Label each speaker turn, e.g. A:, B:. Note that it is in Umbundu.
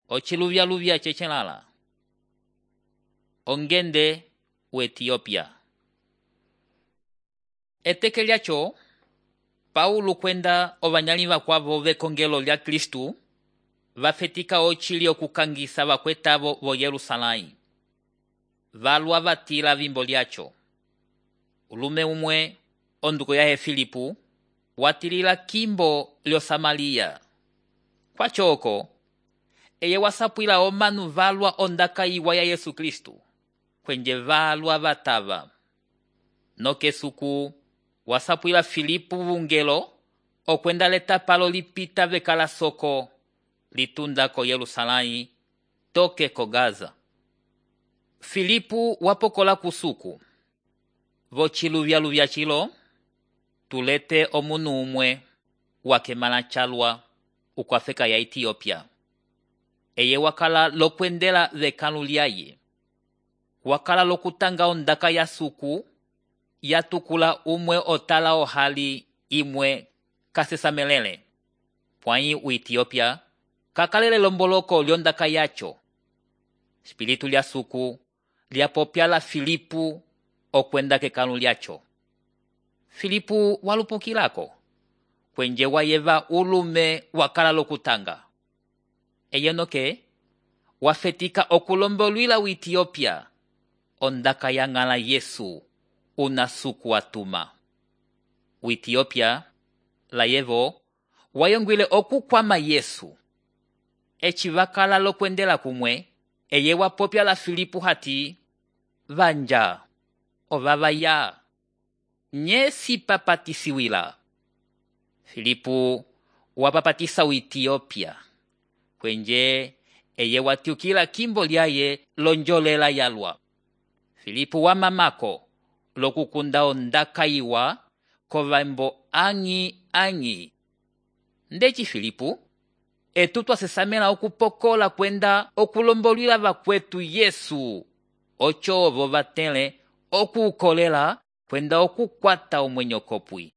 A: Ochiluvya chechelala. Ongende u Etiopia. Eteke lyacho, Paulo kwenda ovanyali vakwavo vekongelo lya Kristu vafetika ochili okukangisa vakwetavo vo Yerusalai. Valwa vatila vimbo lyacho. Ulume umwe, onduko yahe Filipu, watilila kimbo lyo Samaria. Kwa choko, eye wasapwila omanu valwa ondaka iwa ya Yesu Kristu, kwenje valwa vatava. Nokesuku, wasapwila Filipu vungelo, okwenda leta palo lipita vekala soko, litunda ko Yerusalai, toke ko Gaza. Filipu wapokola kusuku. Vochiluvya chilo, tulete omunu umwe, wakemala chalwa, ukwafeka ya Etiopia. Eye wakala lokwendela vekalu lyaye. Wakala lokutanga ondaka ya suku, yatukula umwe otala ohali imwe kasesamelele. Pwai u Etiopia, kakalele lomboloko lyondaka yacho. Spiritu lya suku, lyapopyala Filipu okwenda kekalu lyacho. Filipu walupukilako, kwenje wayeva ulume wakala lokutanga. Eyenoke, wafetika okulombolwila u Etiopia, ondaka ya ngala Yesu, una suku watuma. U Etiopia, layevo, wayongwile okukwama Yesu. Echi wakala lokwendela kumwe, eye wapopya la Filipu hati, vanja, ovavaya, nye si papatisiwila. Filipu wapapatisa u Etiopia, kwenje eye watiukila kimbo lyaye lonjolela yalwa. Filipu wamamako lokukunda ondaka iwa kovambo angi. Ndechi Filipu, etutwa sesamela okupokola kwenda okulombolwila vakwetu Yesu, ocho ovo vatele okukolela kwenda okukwata omwenyo kopwi.